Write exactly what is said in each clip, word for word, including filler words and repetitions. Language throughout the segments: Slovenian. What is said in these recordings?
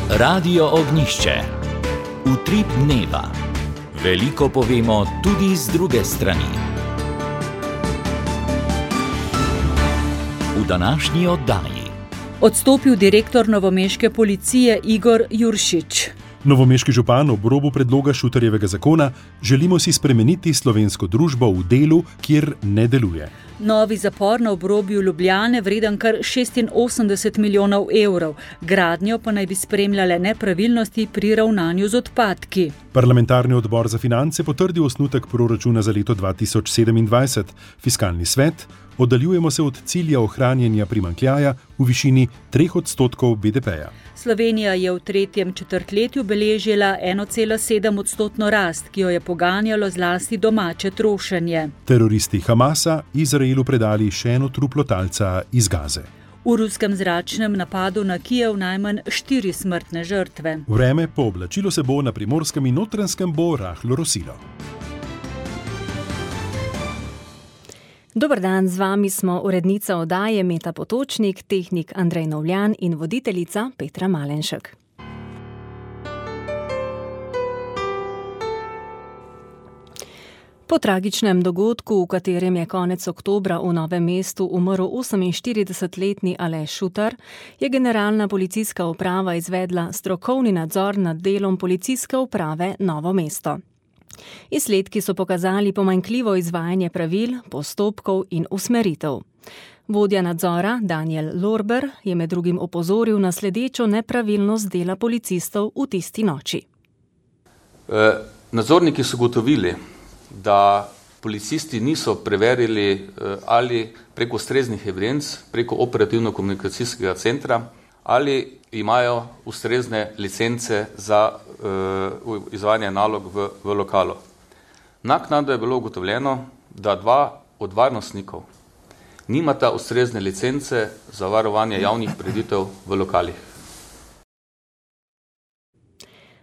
Radio Ognjišče. Utrip dneva. Veliko povemo tudi z druge strani. V današnji oddaji. Odstopil direktor novomeške policije Igor Juršič. Novomeški župan ob robu predloga Šutarjevega zakona: želimo si spremeniti slovensko družbo v delu, kjer ne deluje. Novi zapor na obrobju Ljubljane vreden kar šestinosemdeset milijonov evrov. Gradnjo pa naj bi spremljale nepravilnosti pri ravnanju z odpadki. Parlamentarni odbor za finance potrdil osnutek proračuna za leto dva tisoč sedemindvajset. Fiskalni svet: oddaljujemo se od cilja ohranjanja primanjkljaja v višini treh odstotkov B D P-ja. Slovenija je v tretjem četrtletju beležila ena cela sedem odstotno rast, ki jo je poganjalo zlasti domače trošenje. Teroristi Hamasa Izraelu predali še eno truplo talca iz Gaze. V ruskem zračnem napadu na Kijev najmanj štiri smrtne žrtve. Vreme pooblačilo se bo, na Primorskem in Notranjskem bo rahlo rosilo. Dober dan, z vami smo urednica oddaje Meta Potočnik, tehnik Andrej Novljan in voditeljica Petra Malenšek. Po tragičnem dogodku, v katerem je konec oktobra v Novem mestu umrl oseminštiridesetletni Aleš Šutar, je Generalna policijska uprava izvedla strokovni nadzor nad delom Policijske uprave Novo mesto. Izsledki so pokazali pomanjkljivo izvajanje pravil, postopkov in usmeritev. Vodja nadzora Daniel Lorber je med drugim opozoril na sledečo nepravilnost dela policistov v tisti noči. E, nadzorniki so gotovili, da policisti niso preverili ali preko ustreznih evidenc, preko operativno-komunikacijskega centra, ali imajo ustrezne licence za uh, izvajanje nalog v, v lokalu. Naknadno je bilo ugotovljeno, da dva od varnostnikov nimata ustrezne licence za varovanje javnih prireditev v lokalih.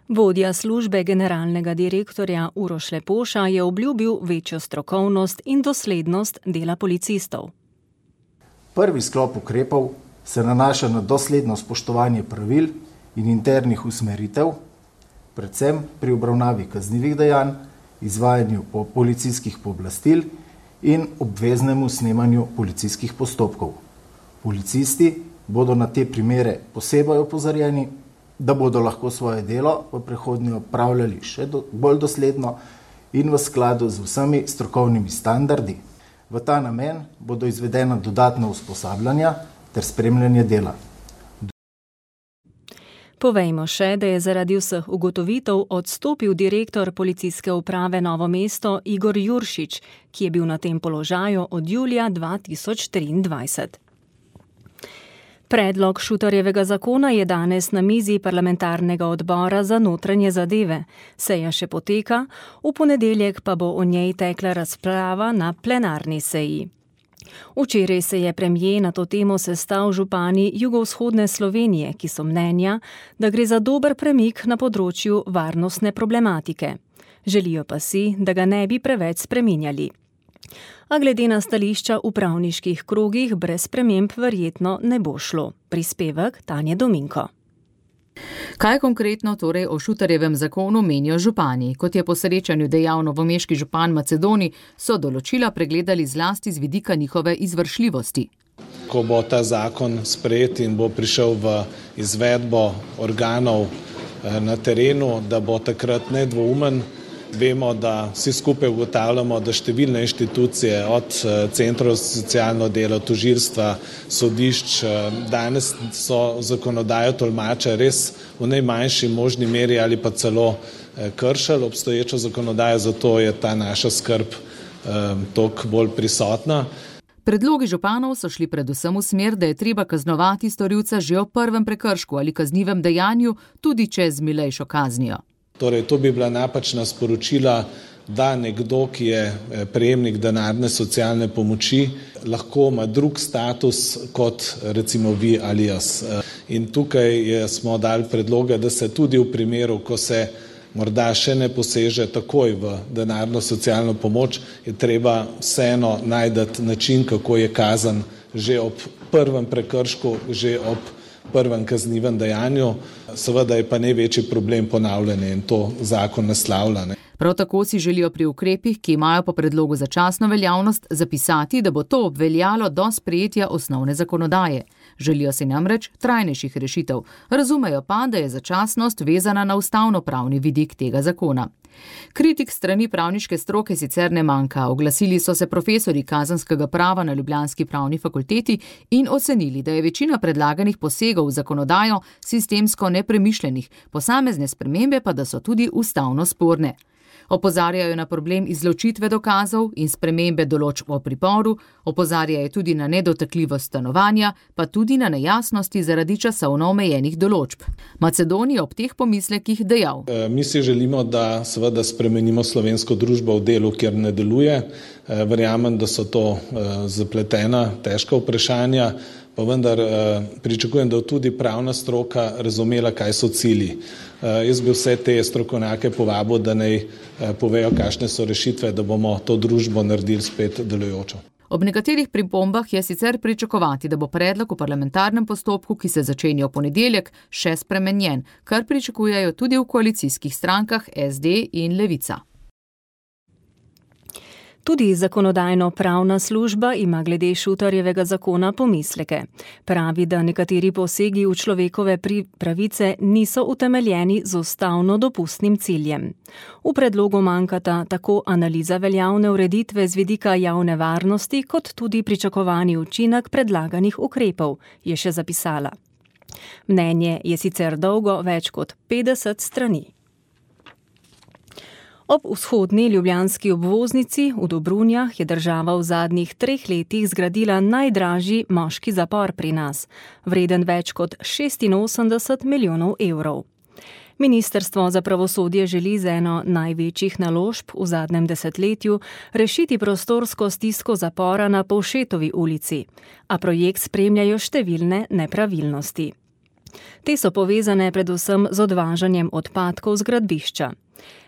Vodja službe generalnega direktorja Uroš Lepoša je obljubil večjo strokovnost in doslednost dela policistov. Prvi sklop ukrepov se nanaša na dosledno spoštovanje pravil in internih usmeritev, predvsem pri obravnavi kaznivih dejanj, izvajanju policijskih pooblastil in obveznemu snemanju policijskih postopkov. Policisti bodo na te primere posebej opozorjeni, da bodo lahko svoje delo v prihodnje opravljali še do, bolj dosledno in v skladu z vsemi strokovnimi standardi. V ta namen bodo izvedena dodatna usposabljanja ter spremljanje dela. Povejmo še, da je zaradi vseh ugotovitev odstopil direktor Policijske uprave Novo mesto Igor Juršič, ki je bil na tem položaju od julija dva tisoč triindvajset. Predlog Šutarjevega zakona je danes na mizi parlamentarnega odbora za notranje zadeve. Seja še poteka, v ponedeljek pa bo o njej tekla razprava na plenarni seji. Včeraj se je premier na to temo sestal župani jugovzhodne Slovenije, ki so mnenja, da gre za dober premik na področju varnostne problematike. Želijo pa si, da ga ne bi preveč spreminjali. A glede na stališča v pravniških krogih brez sprememb verjetno ne bo šlo. Prispevek Tanje Dominko. Kaj konkretno torej o Šutarjevem zakonu menijo župani? Kot je po srečanju dejal novomeški župan Macedoni, so določila pregledali zlasti z vidika njihove izvršljivosti. Ko bo ta zakon sprejet in bo prišel v izvedbo organov na terenu, da bo takrat nedvoumen. Vemo, da vsi skupaj ugotavljamo, da številne inštitucije od centrov za socialno delo, tožilstva, sodišč, danes so zakonodajo tolmače res v najmanjši možni meri ali pa celo kršili obstoječo zakonodajo, zato je ta naša skrb toliko bolj prisotna. Predlogi županov so šli predvsem v smer, da je treba kaznovati storilca že ob prvem prekršku ali kaznivem dejanju, tudi če z milejšo kaznijo. Torej, to bi bila napačna sporočila, da nekdo, ki je prejemnik denarne socialne pomoči, lahko ima drug status kot recimo vi ali jaz. In tukaj smo dali predloge, da se tudi v primeru, ko se morda še ne poseže takoj v denarno socialno pomoč, je treba vseeno najti način, kako je kazen že ob prvem prekršku, že ob prvem kaznivem dejanju, seveda je pa največji problem ponavljanje in to zakon naslavlja. Ne. Prav tako si želijo pri ukrepih, ki imajo po predlogu začasno veljavnost, zapisati, da bo to obveljalo do sprejetja osnovne zakonodaje. Želijo si namreč trajnejših rešitev, razumejo pa, da je začasnost vezana na ustavnopravni vidik tega zakona. Kritik strani pravniške stroke sicer ne manjka. Oglasili so se profesorji kazenskega prava na ljubljanski pravni fakulteti in ocenili, da je večina predlaganih posegov v zakonodajo sistemsko nepremišljenih, posamezne spremembe pa da so tudi ustavno sporne. Opozarjajo na problem izločitve dokazov in spremembe določb o priporu, opozarjajo tudi na nedotakljivost stanovanja, pa tudi na nejasnosti zaradi časovno omejenih določb. Macedoni je ob teh pomislekih dejal. E, mi si želimo, da seveda spremenimo slovensko družbo v delu, kjer ne deluje. E, verjamem, da so to e, zapletena, težka vprašanja, pa vendar eh, pričakujem, da tudi pravna stroka razumela, kaj so cilji. Eh, jaz bi vse te strokovnjake povabil, da naj eh, povejo, kakšne so rešitve, da bomo to družbo naredili spet delujočo. Ob nekaterih pripombah je sicer pričakovati, da bo predlog v parlamentarnem postopku, ki se začenja v ponedeljek, še spremenjen, kar pričakujejo tudi v koalicijskih strankah S D in Levica. Tudi zakonodajno-pravna služba ima glede Šutarjevega zakona pomisleke. Pravi, da nekateri posegi v človekove pravice niso utemeljeni z ustavno dopustnim ciljem. V predlogu manjkata tako analiza veljavne ureditve z vidika javne varnosti, kot tudi pričakovani učinek predlaganih ukrepov, je še zapisala. Mnenje je sicer dolgo več kot petdeset strani. Ob vzhodni ljubljanski obvoznici v Dobrunjah je država v zadnjih treh letih zgradila najdražji moški zapor pri nas, vreden več kot šestinosemdeset milijonov evrov. Ministrstvo za pravosodje želi z eno največjih naložb v zadnjem desetletju rešiti prostorsko stisko zapora na Povšetovi ulici, a projekt spremljajo številne nepravilnosti. Te so povezane predvsem z odvažanjem odpadkov z gradbišča.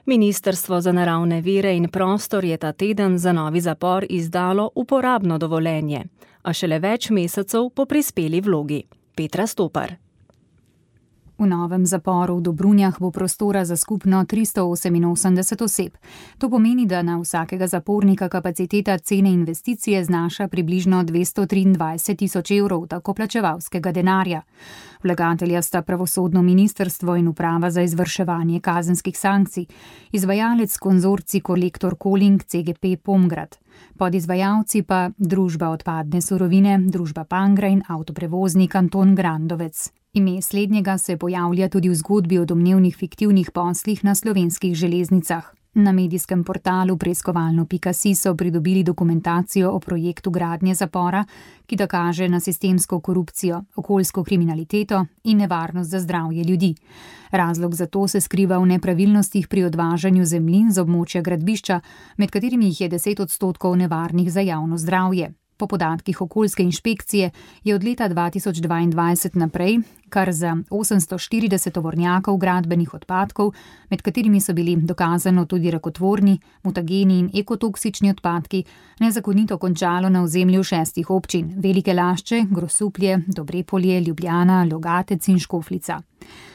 Ministrstvo za naravne vire in prostor je ta teden za novi zapor izdalo uporabno dovoljenje, a šele več mesecev po prispeli vlogi. Petra Stopar. V novem zaporu v Dobrunjah bo prostora za skupno tristo oseminosemdeset oseb. To pomeni, da na vsakega zapornika kapaciteta cene investicije znaša približno dvesto triindvajset tisoč evrov davkoplačevalskega denarja. Vlagatelja sta pravosodno ministrstvo in uprava za izvrševanje kazenskih sankcij, izvajalec konzorcij Kolektor Koling C G P Pomgrad. Podizvajalci pa družba odpadne surovine, družba Pangra in avtoprevoznik Anton Grandovec. Ime slednjega se pojavlja tudi v zgodbi o domnevnih fiktivnih poslih na slovenskih železnicah. Na medijskem portalu preiskovalno pika si so pridobili dokumentacijo o projektu gradnje zapora, ki da kaže na sistemsko korupcijo, okoljsko kriminaliteto in nevarnost za zdravje ljudi. Razlog za to se skriva v nepravilnostih pri odvažanju zemljin z območja gradbišča, med katerimi jih je deset odstotkov nevarnih za javno zdravje. Po podatkih okoljske inšpekcije je od leta dva tisoč dvaindvajset naprej kar za osemsto štirideset tovornjakov gradbenih odpadkov, med katerimi so bili dokazano tudi rakotvorni, mutageni in ekotoksični odpadki, nezakonito končalo na ozemlju šestih občin: Velike Lašče, Grosuplje, Dobrepolje, Ljubljana, Logatec in Škofljica.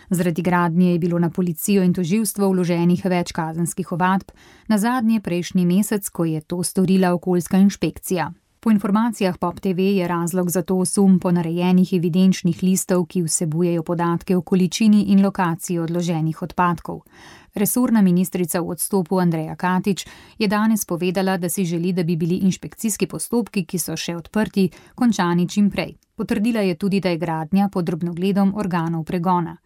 Zaradi gradnje je bilo na policijo in tožilstvo vloženih več kazenskih ovadb, nazadnje prejšnji mesec, ko je to storila okoljska inšpekcija. Po informacijah Pop T V je razlog za to sum ponarejenih evidenčnih listov, ki vsebujejo podatke o količini in lokaciji odloženih odpadkov. Resorna ministrica v odstopu Andreja Katič je danes povedala, da si želi, da bi bili inšpekcijski postopki, ki so še odprti, končani čim prej. Potrdila je tudi, da je gradnja pod drobnogledom organov pregona.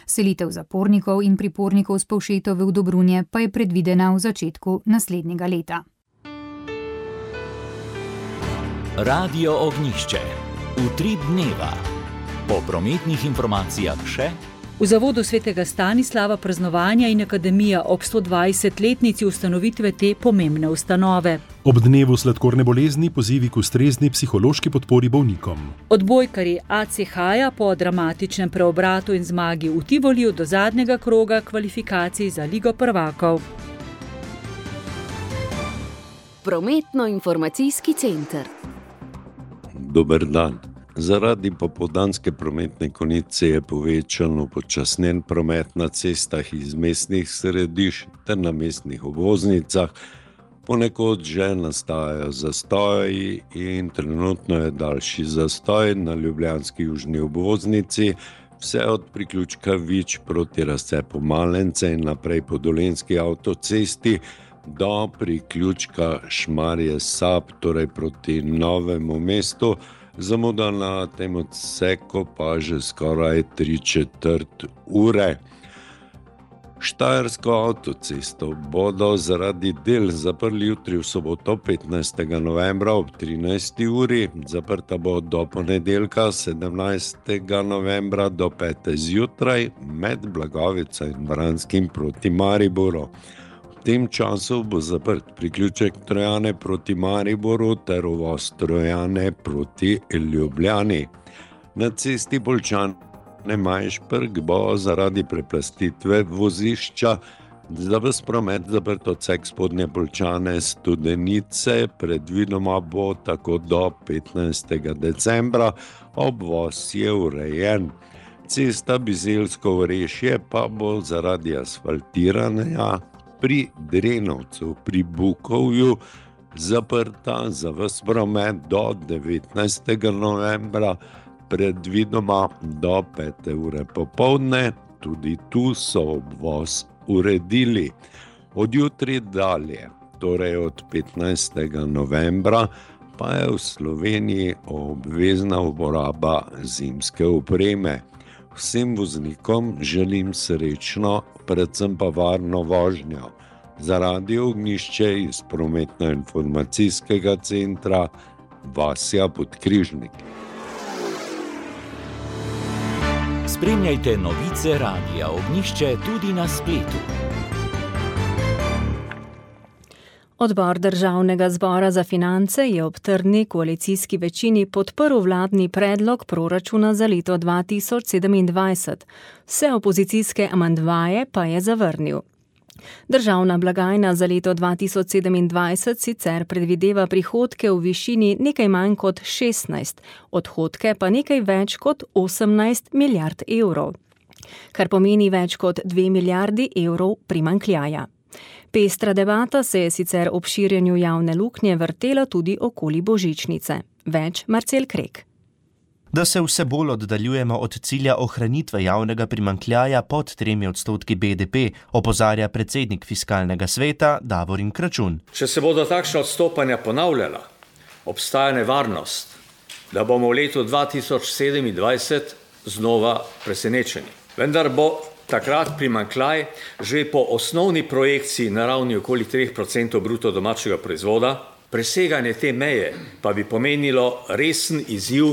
Selitev zapornikov in pripornikov s Povšetove v Dobrunje pa je predvidena v začetku naslednjega leta. Radio Ognjišče. Utrip dneva. Po prometnih informacijah še. V zavodu svetega Stanislava praznovanja in akademija ob stodvajsetletnici ustanovitve te pomembne ustanove. Ob dnevu sladkorne bolezni pozivi k ustrezni psihološki podpori bolnikom. Odbojkarji A C H-ja po dramatičnem preobratu in zmagi v Tivoliju do zadnjega kroga kvalifikacij za Ligo prvakov. Prometno-informacijski center. Dober dan. Zaradi popoldanske prometne konice je povečan upočasnjen promet na cestah iz mestnih središč ter na mestnih obvoznicah. Ponekod že nastajajo zastoji in trenutno je daljši zastoj na ljubljanski južni obvoznici, vse od priključka Vič proti razcepu Malence in naprej po Dolenjski avtocesti do priključka Šmarje Sap, torej proti Novemu mestu. Zamuda na tem odseku pa že skoraj tri četrt ure. Štajersko avtocesto bodo zaradi del zaprli jutri v soboto petnajstega novembra ob trinajsti uri. Zaprta bo do ponedeljka sedemnajstega novembra do pete zjutraj med Blagovico in Vranskim proti Mariboru. V tem času bo zaprt priključek Trojane proti Mariboru ter uvoz Trojane proti Ljubljani. Na cesti Poljčane-Majšperk bo zaradi preplastitve vozišča za ves promet zaprt odsek Spodnje Poljčane-Studenice, predvidoma bo tako do petnajstega decembra, obvoz je urejen. Cesta Bizeljsko-Orešje pa bo zaradi asfaltiranja pri Drenovcu pri Bukovju zaprta za ves promet do devetnajstega novembra, predvidoma do pete ure popoldne. Tudi tu so obvoz uredili. Od jutri dalje, torej od petnajstega novembra, pa je v Sloveniji obvezna uporaba zimske opreme. Vsem voznikom želim srečno, predvsem pa varno vožnjo. Za Radio Ognjišče iz prometno-informacijskega centra Vasja Podkrižnik. Spremljajte novice Radia Ognjišče tudi na spletu. Odbor Državnega zbora za finance je ob trdni koalicijski večini podprl vladni predlog proračuna za leto dva tisoč sedemindvajset. Vse opozicijske amandmaje pa je zavrnil. Državna blagajna za leto dva tisoč sedemindvajset sicer predvideva prihodke v višini nekaj manj kot šestnajst, odhodke pa nekaj več kot osemnajst milijard evrov, kar pomeni več kot dve milijardi evrov primanjkljaja. Pestra debata se je sicer ob širjenju javne luknje vrtela tudi okoli božičnice. Več Marcel Krek. Da se vse bolj oddaljujemo od cilja ohranitve javnega primanjkljaja pod tremi odstotki B D P, opozarja predsednik Fiskalnega sveta Davorin Kračun. Če se bodo takšna odstopanja ponavljala, obstaja nevarnost, da bomo v letu dva tisoč sedemindvajset znova presenečeni. Vendar bo takrat primanjkljaj že po osnovni projekciji na ravni okoli tri odstotke bruto domačega proizvoda, preseganje te meje pa bi pomenilo resen izziv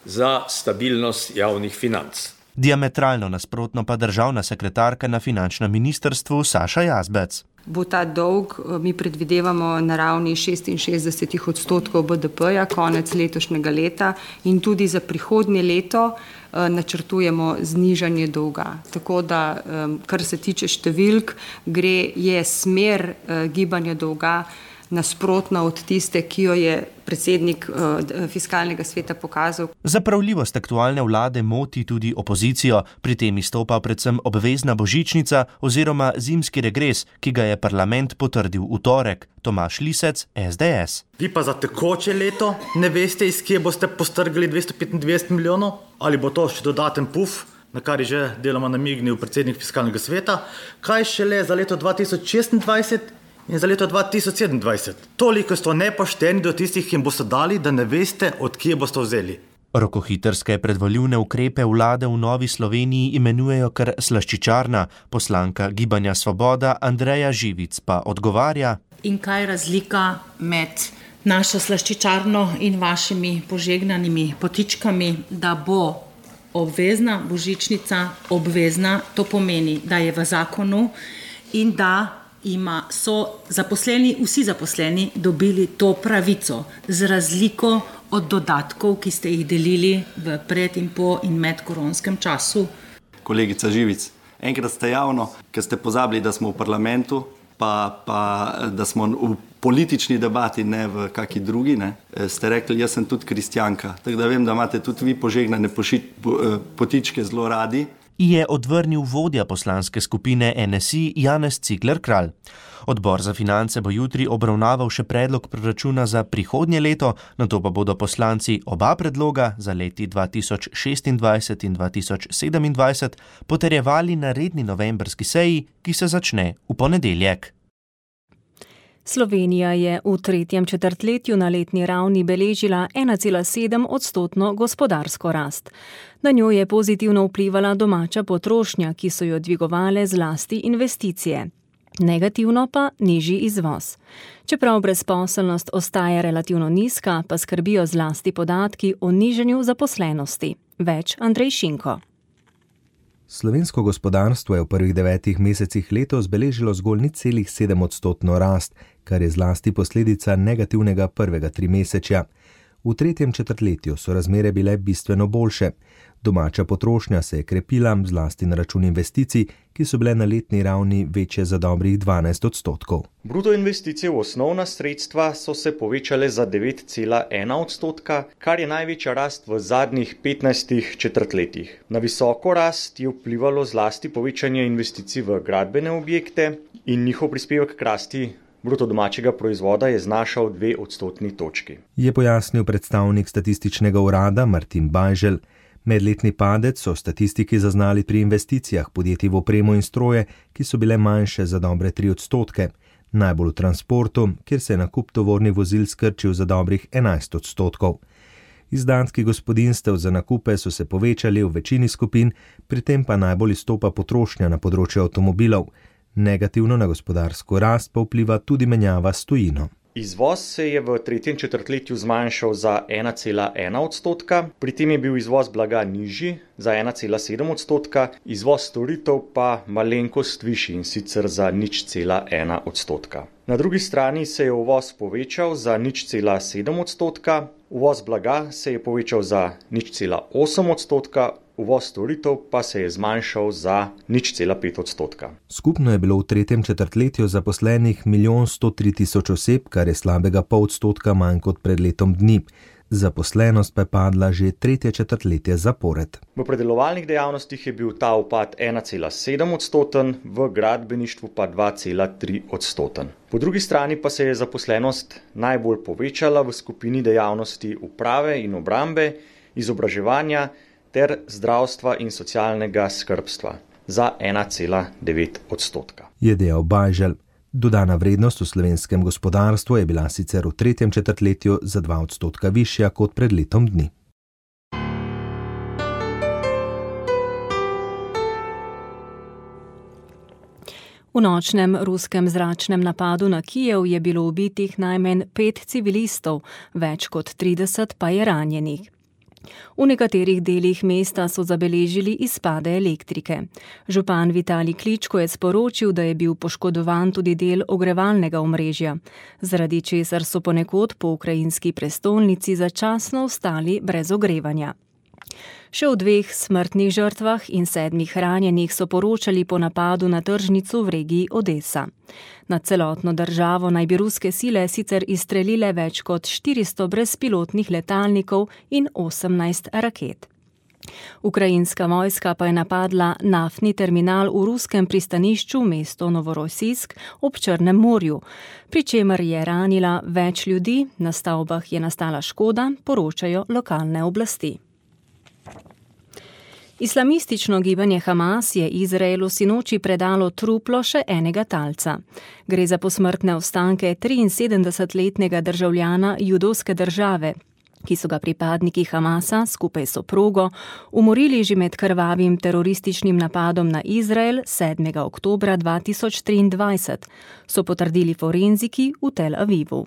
za stabilnost javnih financ. Diametralno nasprotno pa državna sekretarka na finančnem ministrstvu Saša Jazbec. Bo ta dolg, mi predvidevamo na ravni šestinšestdeset odstotkov B D P-ja konec letošnjega leta in tudi za prihodnje leto načrtujemo znižanje dolga. Tako da, kar se tiče številk, gre je smer gibanja dolga nasprotna od tiste, ki jo je predsednik Fiskalnega sveta pokazal. Zapravljivost aktualne vlade moti tudi opozicijo, pri tem izstopa predvsem obvezna božičnica oziroma zimski regres, ki ga je parlament potrdil v torek. Tomaž Lisec, S D S. Vi pa za tekoče leto ne veste, iz kje boste postrgali dvesto petindvajset milijonov, ali bo to še dodaten puf, na kar je že deloma namignil predsednik Fiskalnega sveta, kaj šele za leto dva tisoč šestindvajset in za leto dva tisoč sedemindvajset. Toliko ste nepošteni do tistih, ki jim boste dali, da ne veste, od kje boste vzeli. Rokohitrske predvoljivne ukrepe vlade v Novi Sloveniji imenujejo kar slaščičarna. Poslanka Gibanja Svoboda Andreja Živic pa odgovarja. In kaj je razlika med našo slaščičarno in vašimi požegnanimi potičkami, da bo obvezna božičnica obvezna, to pomeni, da je v zakonu in da ima, so zaposleni, vsi zaposleni dobili to pravico, z razliko od dodatkov, ki ste jih delili v pred in po in med koronskem času. Kolegica Živic, enkrat ste javno, ker ste pozabili, da smo v parlamentu, pa, pa da smo v politični debati, ne v kaki drugi, ne, ste rekli, jaz sem tudi kristjanka, tako da vem, da imate tudi vi požegnane poši, potičke zelo radi. Je odvrnil vodja poslanske skupine N S I Janez Cigler Kralj. Odbor za finance bo jutri obravnaval še predlog proračuna za prihodnje leto, nato pa bodo poslanci oba predloga za leti dva tisoč šestindvajset in dva tisoč sedemindvajset potrjevali na redni novembrski seji, ki se začne v ponedeljek. Slovenija je v tretjem četrtletju na letni ravni beležila ena cela sedem odstotno gospodarsko rast. Na njo je pozitivno vplivala domača potrošnja, ki so jo dvigovale zlasti investicije. Negativno pa nižji izvoz. Čeprav brezposelnost ostaja relativno nizka, pa skrbijo zlasti podatki o nižanju zaposlenosti. Več Andrej Šinko. Slovensko gospodarstvo je v prvih devetih mesecih letos beležilo zgolj nič celih sedem odstotno rast, kar je zlasti posledica negativnega prvega trimesečja. V tretjem četrtletju so razmere bile bistveno boljše. Domača potrošnja se je krepila, zlasti na račun investicij, ki so bile na letni ravni večje za dobrih dvanajst odstotkov. Bruto investicije v osnovna sredstva so se povečale za devet cela ena odstotka, kar je največja rast v zadnjih petnajstih četrtletjih. Na visoko rast je vplivalo zlasti povečanje investicij v gradbene objekte in njihov prispevek k rasti bruto domačega proizvoda je znašal dve odstotni točki. Je pojasnil predstavnik statističnega urada Martin Bajžel. Medletni padec so statistiki zaznali pri investicijah podjetij v opremo in stroje, ki so bile manjše za dobre tri odstotke. Najbolj v transportu, kjer se je nakup tovornih vozil skrčil za dobrih enajst odstotkov. Izdatki gospodinjstev za nakupe so se povečali v večini skupin, pri tem pa najbolj izstopa potrošnja na področju avtomobilov. Negativno na gospodarsko rast pa vpliva tudi menjava s tujino. Izvoz se je v tretjem četrtletju zmanjšal za ena cela ena odstotka, pri tem je bil izvoz blaga nižji za ena cela sedem odstotka, izvoz storitev pa malenkost višji in sicer za nič cela ena odstotka. Na drugi strani se je uvoz povečal za nič cela sedem odstotka, uvoz blaga se je povečal za nič cela osem odstotka, uvoz storitev pa se je zmanjšal za nič cela pet odstotka. Skupno je bilo v tretjem četrtletju zaposlenih milijon sto tri tisoč oseb, kar je slabega pol odstotka manj kot pred letom dni. Zaposlenost pa je padla že tretje četrtletje zapored. V predelovalnih dejavnostih je bil ta upad ena cela sedem odstoten, v gradbeništvu pa dva cela tri odstoten. Po drugi strani pa se je zaposlenost najbolj povečala v skupini dejavnosti uprave in obrambe, izobraževanja ter zdravstva in socialnega skrbstva za ena cela devet odstotka. Je dejal Bajžel. Dodana vrednost v slovenskem gospodarstvu je bila sicer v tretjem četrtletju za dva odstotka višja kot pred letom dni. V nočnem ruskem zračnem napadu na Kijev je bilo ubitih najmanj pet civilistov, več kot trideset pa je ranjenih. V nekaterih delih mesta so zabeležili izpade elektrike. Župan Vitalij Kličko je sporočil, da je bil poškodovan tudi del ogrevalnega omrežja, zaradi česar so ponekod po ukrajinski prestolnici začasno ostali brez ogrevanja. Še o dveh smrtnih žrtvah in sedmih ranjenih so poročali po napadu na tržnico v regiji Odesa. Na celotno državo naj bi ruske sile sicer izstrelile več kot štiristo brezpilotnih letalnikov in osemnajst raket. Ukrajinska vojska pa je napadla naftni terminal v ruskem pristanišču mesto Novorosijsk ob Črnem morju, pri čemer je ranila več ljudi, na stavbah je nastala škoda, poročajo lokalne oblasti. Islamistično gibanje Hamas je Izraelu sinoči predalo truplo še enega talca. Gre za posmrtne ostanke triinsedemdesetletnega državljana judovske države, ki so ga pripadniki Hamasa skupaj s soprogo umorili že med krvavim terorističnim napadom na Izrael sedmega oktobra dva tisoč triindvajset, so potrdili forenziki v Tel Avivu.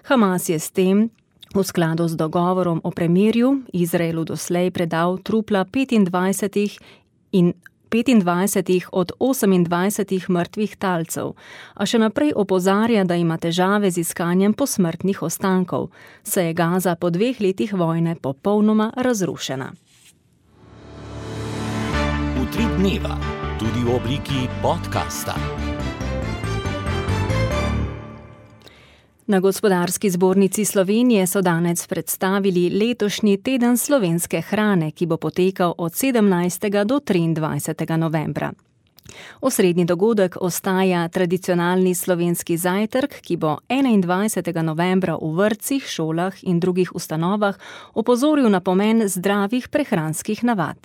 Hamas je s tem v skladu z dogovorom o premirju Izraelu doslej predal trupla petindvajsetih in petindvajsetih od osemindvajsetih mrtvih talcev, a še naprej opozarja, da ima težave z iskanjem posmrtnih ostankov, saj je Gaza po dveh letih vojne popolnoma razrušena. Utrip dneva, tudi v obliki podcasta. Na Gospodarski zbornici Slovenije so danes predstavili letošnji teden slovenske hrane, ki bo potekal od sedemnajstega do triindvajsetega novembra. Osrednji dogodek ostaja tradicionalni slovenski zajtrk, ki bo enaindvajsetega novembra v vrtcih, šolah in drugih ustanovah opozoril na pomen zdravih prehranskih navad.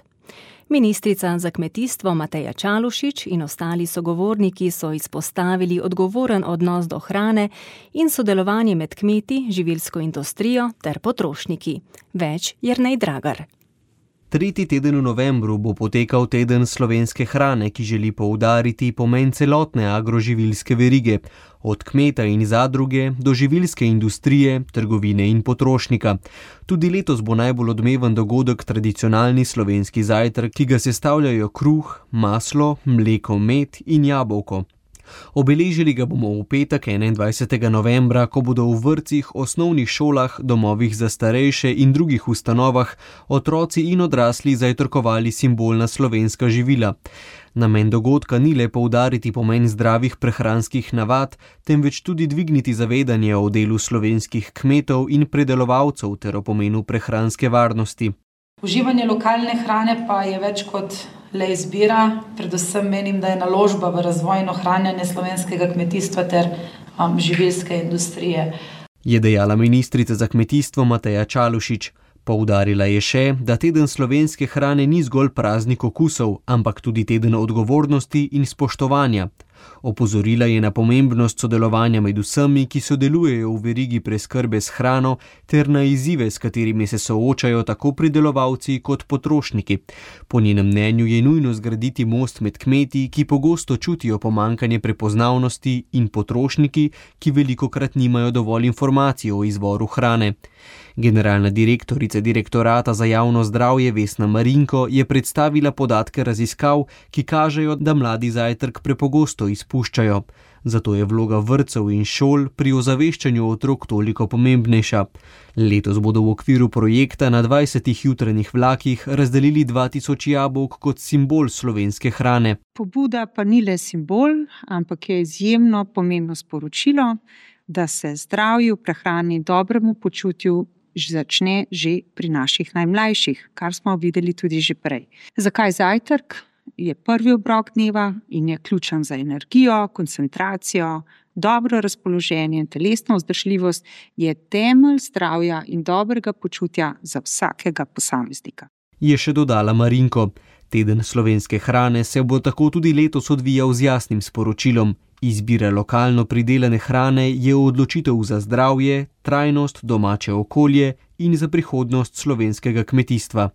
Ministrica za kmetijstvo Mateja Čalušić in ostali sogovorniki so izpostavili odgovoren odnos do hrane in sodelovanje med kmeti, živilsko industrijo ter potrošniki. Več Jernej Dragar. Tretji teden v novembru bo potekal teden slovenske hrane, ki želi poudariti pomen celotne agroživilske verige, od kmeta in zadruge do živilske industrije, trgovine in potrošnika. Tudi letos bo najbolj odmeven dogodek tradicionalni slovenski zajtrk, ki ga sestavljajo kruh, maslo, mleko, med in jabolko. Obeležili ga bomo v petek enaindvajsetega novembra, ko bodo v vrtcih, osnovnih šolah, domovih za starejše in drugih ustanovah otroci in odrasli zajtrkovali simbolna slovenska živila. Namen dogodka ni le poudariti pomen zdravih prehranskih navad, temveč tudi dvigniti zavedanje o delu slovenskih kmetov in predelovalcev ter o pomenu prehranske varnosti. Uživanje lokalne hrane pa je več kot le izbira, predvsem menim, da je naložba v razvoj in ohranjanje slovenskega kmetijstva ter um, živilske industrije. Je dejala ministrica za kmetijstvo Mateja Čalušić. Poudarila je še, da teden slovenske hrane ni zgolj praznik okusov, ampak tudi teden odgovornosti in spoštovanja. Opozorila je na pomembnost sodelovanja med vsemi, ki sodelujejo v verigi preskrbe s hrano, ter na izzive, s katerimi se soočajo tako pridelovalci kot potrošniki. Po njenem mnenju je nujno zgraditi most med kmeti, ki pogosto čutijo pomankanje prepoznavnosti, in potrošniki, ki velikokrat nimajo dovolj informacij o izvoru hrane. Generalna direktorica Direktorata za javno zdravje Vesna Marinko je predstavila podatke raziskav, ki kažejo, da mladi zajtrk prepogosto izpuščajo. Zato je vloga vrtcev in šol pri ozaveščanju otrok toliko pomembnejša. Letos bodo v okviru projekta na dvajsetih jutranjih vlakih razdelili dva tisoč jabolk kot simbol slovenske hrane. Pobuda pa ni le simbol, ampak je izjemno pomembno sporočilo, da se zdravju, prehrani, dobremu počutju začne že pri naših najmlajših, kar smo videli tudi že prej. Zakaj zajtrk? Je prvi obrok dneva in je ključen za energijo, koncentracijo, dobro razpoloženje in telesno vzdržljivost, je temelj zdravja in dobrega počutja za vsakega posameznika. Je še dodala Marinko. Teden slovenske hrane se bo tako tudi letos odvijal z jasnim sporočilom. Izbira lokalno pridelane hrane je odločitev za zdravje, trajnost, domače okolje in za prihodnost slovenskega kmetijstva.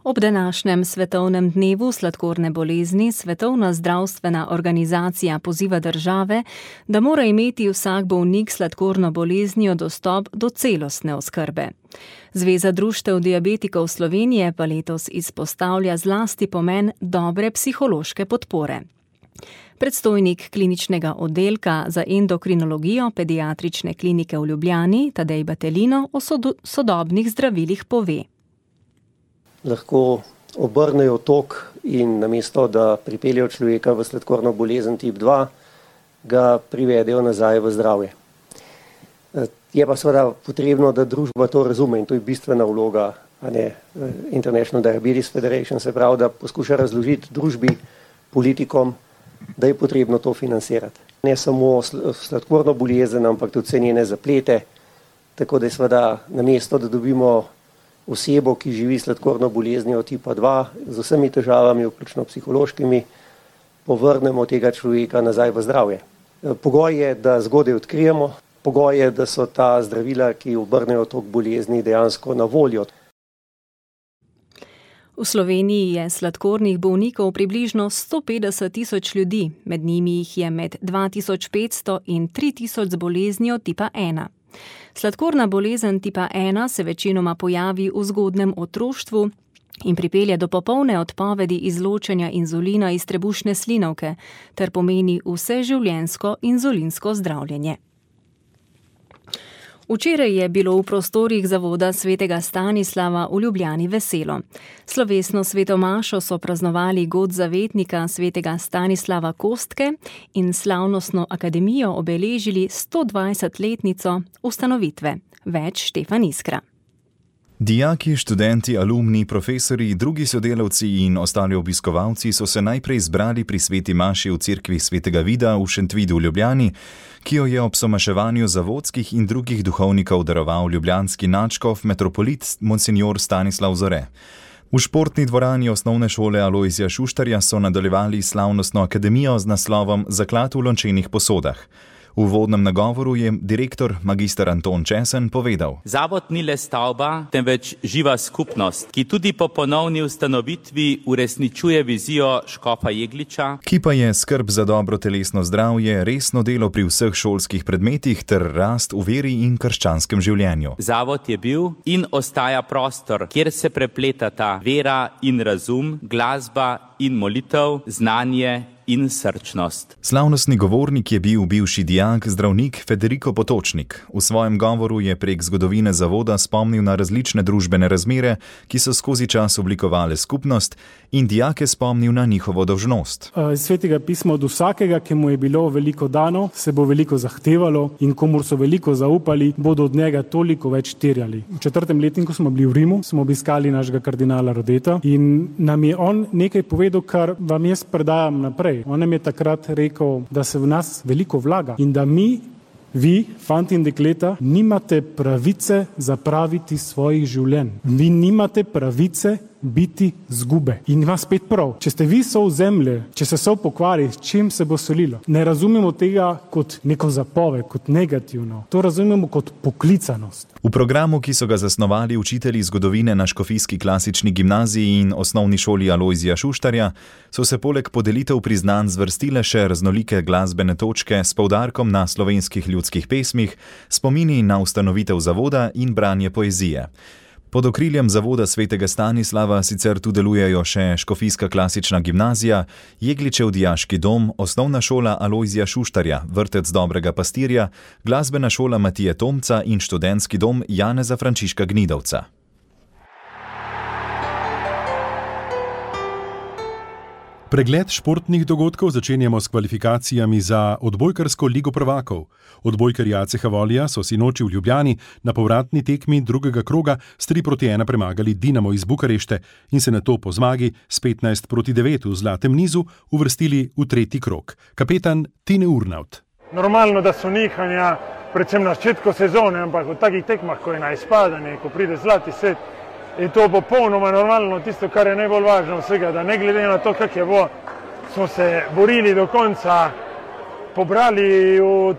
Ob današnjem svetovnem dnevu sladkorne bolezni Svetovna zdravstvena organizacija poziva države, da mora imeti vsak bolnik sladkorno boleznijo dostop do celostne oskrbe. Zveza društev diabetikov Slovenije pa letos izpostavlja zlasti pomen dobre psihološke podpore. Predstojnik kliničnega oddelka za endokrinologijo pediatrične klinike v Ljubljani, Tadej Batelino, o sodobnih zdravilih pove. Lahko obrnejo tok in namesto, da pripeljejo človeka v sladkorno bolezen tip dva, ga privedejo nazaj v zdravje. Je pa seveda potrebno, da družba to razume in to je bistvena vloga, a ne International Diabetes Federation, se pravi, da poskuša razložiti družbi, politikom, da je potrebno to financirati. Ne samo sladkorno bolezen, ampak tudi vse njene zaplete, tako da je seveda namesto, da dobimo osebo, ki živi sladkorno boleznijo tipa dva, z vsemi težavami, vključno psihološkimi, povrnemo tega človeka nazaj v zdravje. Pogoj je, da zgodaj odkrijemo, pogoj je, da so ta zdravila, ki obrnejo tok bolezni, dejansko na voljo. V Sloveniji je sladkornih bolnikov približno sto petdeset tisoč ljudi, med njimi jih je med dva tisoč petsto in tri tisoč z boleznijo tipa ena. Sladkorna bolezen tipa ena se večinoma pojavi v zgodnem otroštvu in pripelje do popolne odpovedi izločanja inzulina iz trebušne slinavke ter pomeni vseživljenjsko inzulinsko zdravljenje. Včeraj je bilo v prostorih zavoda svetega Stanislava v Ljubljani veselo. Slovesno svetomašo so praznovali god zavetnika svetega Stanislava Kostke in slavnostno akademijo obeležili stodvajsetletnico ustanovitve. Več Štefan Iskra. Dijaki, študenti, alumni, profesori, drugi sodelavci in ostali obiskovalci so se najprej zbrali pri sveti maši v cerkvi svetega Vida v Šentvidu v Ljubljani, ki jo je ob somaševanju zavodskih in drugih duhovnikov daroval ljubljanski nadškof metropolit monsignor Stanislav Zore. V športni dvorani osnovne šole Alojzija Šuštarja so nadaljevali slavnostno akademijo z naslovom Zaklad v lončenih posodah. V uvodnem nagovoru je direktor magister Anton Česen povedal: Zavod ni le stavba, temveč živa skupnost, ki tudi po ponovni ustanovitvi uresničuje vizijo škofa Jegliča, ki pa je skrb za dobro telesno zdravje, resno delo pri vseh šolskih predmetih ter rast v veri in krščanskem življenju. Zavod je bil in ostaja prostor, kjer se prepletata vera in razum, glasba in molitev, znanje in srčnost. Slavnostni govornik je bil bivši dijak, zdravnik Federico Potočnik. V svojem govoru je prek zgodovine zavoda spomnil na različne družbene razmere, ki so skozi čas oblikovale skupnost, in dijake spomnil na njihovo dolžnost. Iz svetega pisma od vsakega, ki mu je bilo veliko dano, se bo veliko zahtevalo, in komur so veliko zaupali, bodo od njega toliko več terjali. V četrtem letniku smo bili v Rimu, smo obiskali našega kardinala Rodeta in nam je on nekaj povedal, kar vam jaz predajam naprej. On nam je takrat rekel, da se v nas veliko vlaga in da mi, vi, fanti in dekleta, nimate pravice zapraviti svojih življenj. Vi nimate pravice biti zgube. In ima spet prav. Če ste vi sol zemlje, če se sol pokvari, s čim se bo solilo? Ne razumemo tega kot neko zapove, kot negativno. To razumemo kot poklicanost. V programu, ki so ga zasnovali učitelji zgodovine na Škofijski klasični gimnaziji in osnovni šoli Alojzija Šuštarja, so se poleg podelitev priznanj zvrstile še raznolike glasbene točke s poudarkom na slovenskih ljudskih pesmih, spomini na ustanovitev zavoda in branje poezije. Pod okriljem zavoda svetega Stanislava sicer tu delujejo še Škofijska klasična gimnazija, Jegličev dijaški dom, osnovna šola Alojzija Šuštarja, vrtec Dobrega pastirja, glasbena šola Matije Tomca in študentski dom Janeza Frančiška Gnidovca. Pregled športnih dogodkov začenjamo s kvalifikacijami za odbojkarsko ligo prvakov. Odbojkarji A C H Volija so sinoči v Ljubljani na povratni tekmi drugega kroga s tri proti ena premagali Dinamo iz Bukarešte in se nato po zmagi s petnajst proti devet v zlatem nizu uvrstili v tretji krog. Kapetan Tine Urnaut. Normalno, da so nihanja, predvsem na začetku sezone, ampak v takih tekmah, ko je na izpadanje, ko pride zlati set, je to popolnoma normalno, tisto, kar je najbolj važno vsega, da ne glede na to, kak je bo, smo se borili do konca, pobrali v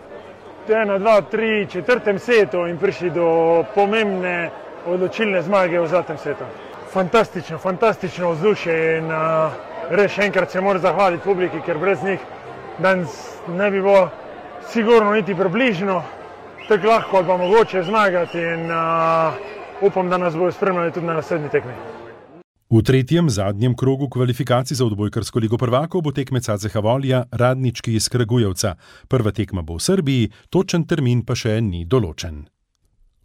ena, dva, tri, četrtem setu in prišli do pomembne odločilne zmage v zlatem setu. Fantastično, fantastično vzdušje in uh, res še enkrat se moram zahvaliti publiki, ker brez njih danes ne bi bilo sigurno niti približno tako lahko ali pa mogoče zmagati in uh, upam, da nas bodo spremljali tudi na naslednji tekmi. V tretjem, zadnjem krogu kvalifikacij za odbojkarsko ligo prvakov bo tekmec A C H Volija Radnički iz Kragujevca. Prva tekma bo v Srbiji, točen termin pa še ni določen.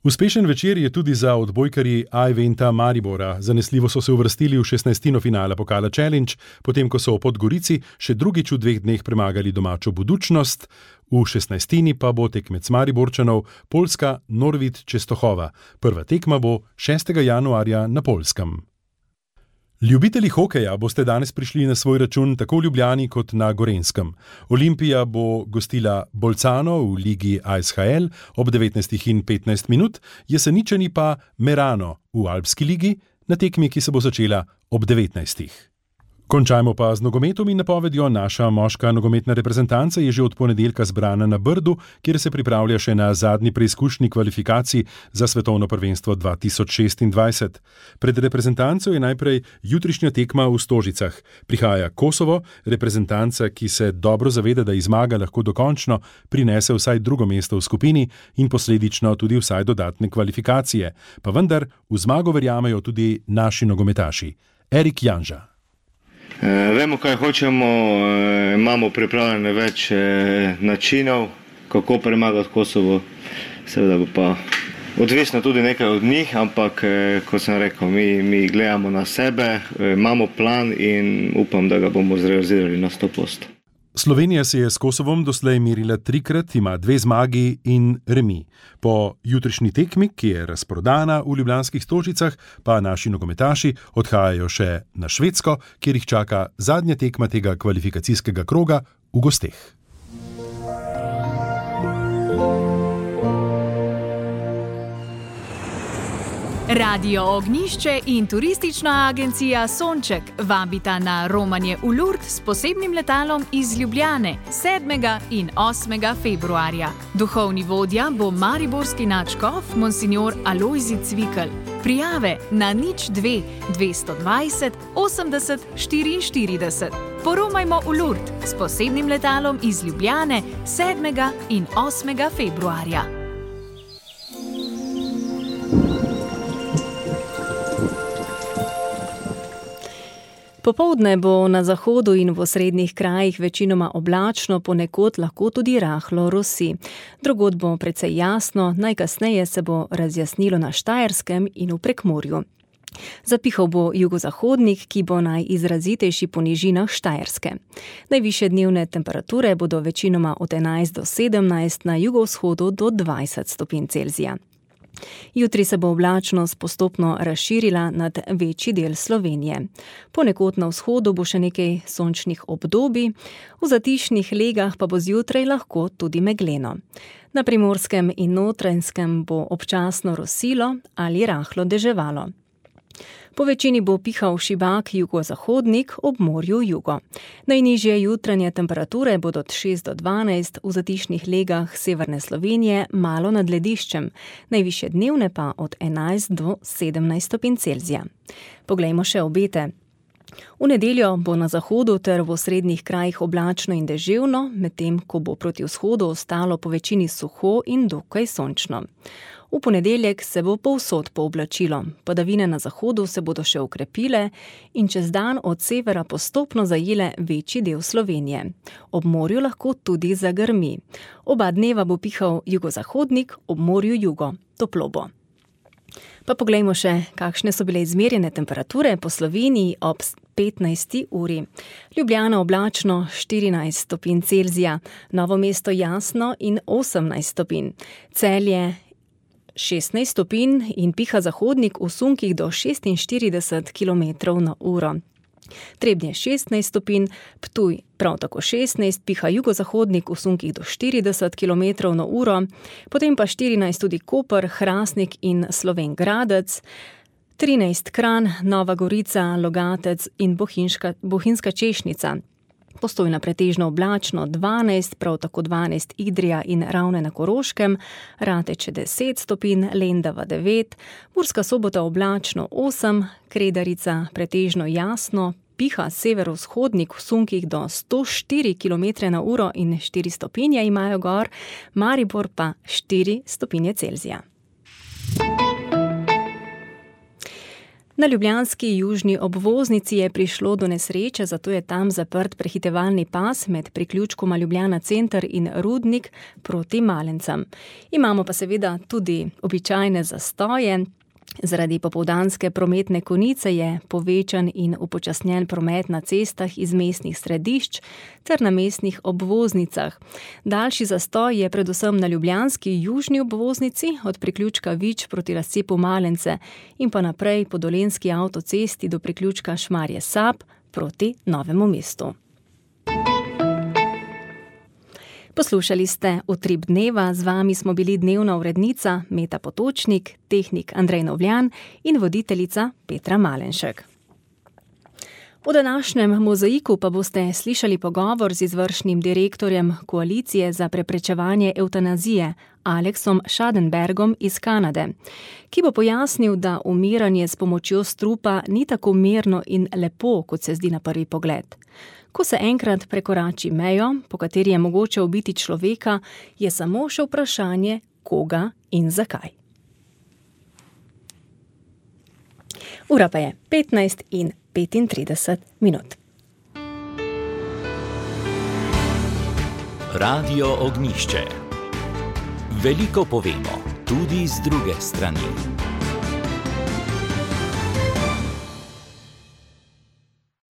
Uspešen večer je tudi za odbojkarji A-eventa Maribora. Zanesljivo so se uvrstili v šestnajstino finala Pokala Challenge, potem ko so v Podgorici še drugič v dveh dneh premagali domačo Budućnost. V šestnajstini pa bo tekmec Mariborčanov Poljska Norvit Čestohova. Prva tekma bo šestega januarja na Poljskem. Ljubitelji hokeja boste danes prišli na svoj račun tako v Ljubljani kot na Gorenjskem. Olimpija bo gostila Bolcano v ligi A S H L ob devetnajstih in petnajst minut, Jeseničani pa Merano v Alpski ligi na tekmi, ki se bo začela ob devetnajstih. Končajmo pa z nogometom in napovedjo. Naša moška nogometna reprezentanca je že od ponedeljka zbrana na Brdu, kjer se pripravlja še na zadnji preizkušnji kvalifikacij za svetovno prvenstvo dva tisoč šestindvajset. Pred reprezentanco je najprej jutrišnja tekma v Stožicah. Prihaja Kosovo, reprezentanca, ki se dobro zaveda, da iz zmage lahko dokončno prinese vsaj drugo mesto v skupini in posledično tudi vsaj dodatne kvalifikacije. Pa vendar v zmago verjamejo tudi naši nogometaši. Erik Janža. E, vemo, kaj hočemo, e, imamo pripravljene več e, načinov, kako premagati Kosovo. seveda bo pa odvisno tudi nekaj od njih, ampak kot sem rekel, mi, mi gledamo na sebe, imamo plan in upam, da ga bomo zrealizirali na sto posto. Slovenija se je s Kosovom doslej merila trikrat, ima dve zmagi in remi. Po jutrišnji tekmi, ki je razprodana v ljubljanskih Stožicah, pa naši nogometaši odhajajo še na Švedsko, kjer jih čaka zadnja tekma tega kvalifikacijskega kroga v gosteh. Radio Ognjišče in turistična agencija Sonček vabita na romanje v Lourdes s posebnim letalom iz Ljubljane sedmega in osmega februarja. Duhovni vodja bo mariborski nadškof monsignor Alojzij Cvikl. Prijave na nič dve dvesto dvajset osemdeset štiriinštirideset. Poromajmo v Lourdes s posebnim letalom iz Ljubljane sedmega in osmega februarja. Popoldne bo na zahodu in v osrednjih krajih večinoma oblačno, ponekod lahko tudi rahlo rosi. Drugod bo precej jasno, najkasneje se bo razjasnilo na Štajerskem in v Prekmurju. Zapihal bo jugozahodnik, ki bo najizrazitejši po nižinah Štajerske. Najvišje dnevne temperature bodo večinoma od enajst do sedemnajst, na jugovzhodu do dvajset stopinj Celzija. Jutri se bo oblačnost postopno razširila nad večji del Slovenije. Ponekod na vzhodu bo še nekaj sončnih obdobij, v zatišnih legah pa bo zjutraj lahko tudi megleno. Na Primorskem in Notranjskem bo občasno rosilo ali rahlo deževalo. Po večini bo pihal šibak jugozahodnik, ob morju jugo. Najnižje jutranje temperature bodo od šest do dvanajst, v zatišnih legah severne Slovenije malo nad lediščem, najvišje dnevne pa od enajst do sedemnajst stopinj Celzija. Poglejmo še obete. V nedeljo bo na zahodu ter v osrednjih krajih oblačno in deževno, medtem ko bo proti vzhodu ostalo po večini suho in dokaj sončno. V ponedeljek se bo povsod pooblačilo, padavine na zahodu se bodo še okrepile in čez dan od severa postopno zajele večji del Slovenije. Ob morju lahko tudi zagrmi. Oba dneva bo pihal jugozahodnik, ob morju jugo, toplo bo. Pa poglejmo še, kakšne so bile izmerjene temperature po Sloveniji ob petnajsti uri. Ljubljana oblačno štirinajst stopinj Celzija, Novo mesto jasno in osemnajst stopinj. Celje šestnajst stopinj in piha zahodnik v sunkih do šestinštirideset kilometrov na uro. Trebnje šestnajst stopinj, Ptuj prav tako šestnajst, piha jugozahodnik v sunkih do štirideset kilometrov na uro, potem pa štirinajst tudi Koper, Hrastnik in Slovenj Gradec, trinajst Kranj, Nova Gorica, Logatec in Bohinjska, Bohinjska Češnica. Postojna pretežno oblačno dvanajst, prav tako dvanajst Idrija in Ravne na Koroškem, Rateče deset stopinj, Lendava devet, Murska Sobota oblačno osem, Kredarica pretežno jasno, piha severovzhodnik v sunkih do sto štiri kilometre na uro in štiri stopinje imajo gor, Maribor pa štiri stopinje Celzija. Na ljubljanski južni obvoznici je prišlo do nesreče, zato je tam zaprt prehitevalni pas med priključkoma Ljubljana center in Rudnik proti Malencem. Imamo pa seveda tudi običajne zastoje. Zaradi popoldanske prometne konice je povečan in upočasnjen promet na cestah iz mestnih središč ter na mestnih obvoznicah. Daljši zastoj je predvsem na ljubljanski južni obvoznici od priključka Vič proti razcepu Malence in pa naprej po dolenjski avtocesti do priključka Šmarje Sap proti Novemu mestu. Poslušali ste Utrip dneva, z vami smo bili dnevna urednica Meta Potočnik, tehnik Andrej Novljan in voditeljica Petra Malenšek. V današnjem mozaiku pa boste slišali pogovor z izvršnim direktorjem Koalicije za preprečevanje evtanazije Aleksom Schadenbergom iz Kanade, ki bo pojasnil, da umiranje s pomočjo strupa ni tako mirno in lepo, kot se zdi na prvi pogled. Ko se enkrat prekorači mejo, po kateri je mogoče ubiti človeka, je samo še vprašanje, koga in zakaj. Ura pa je petnajst in petintrideset minut. Radio Ognjišče. Veliko povemo tudi z druge strani.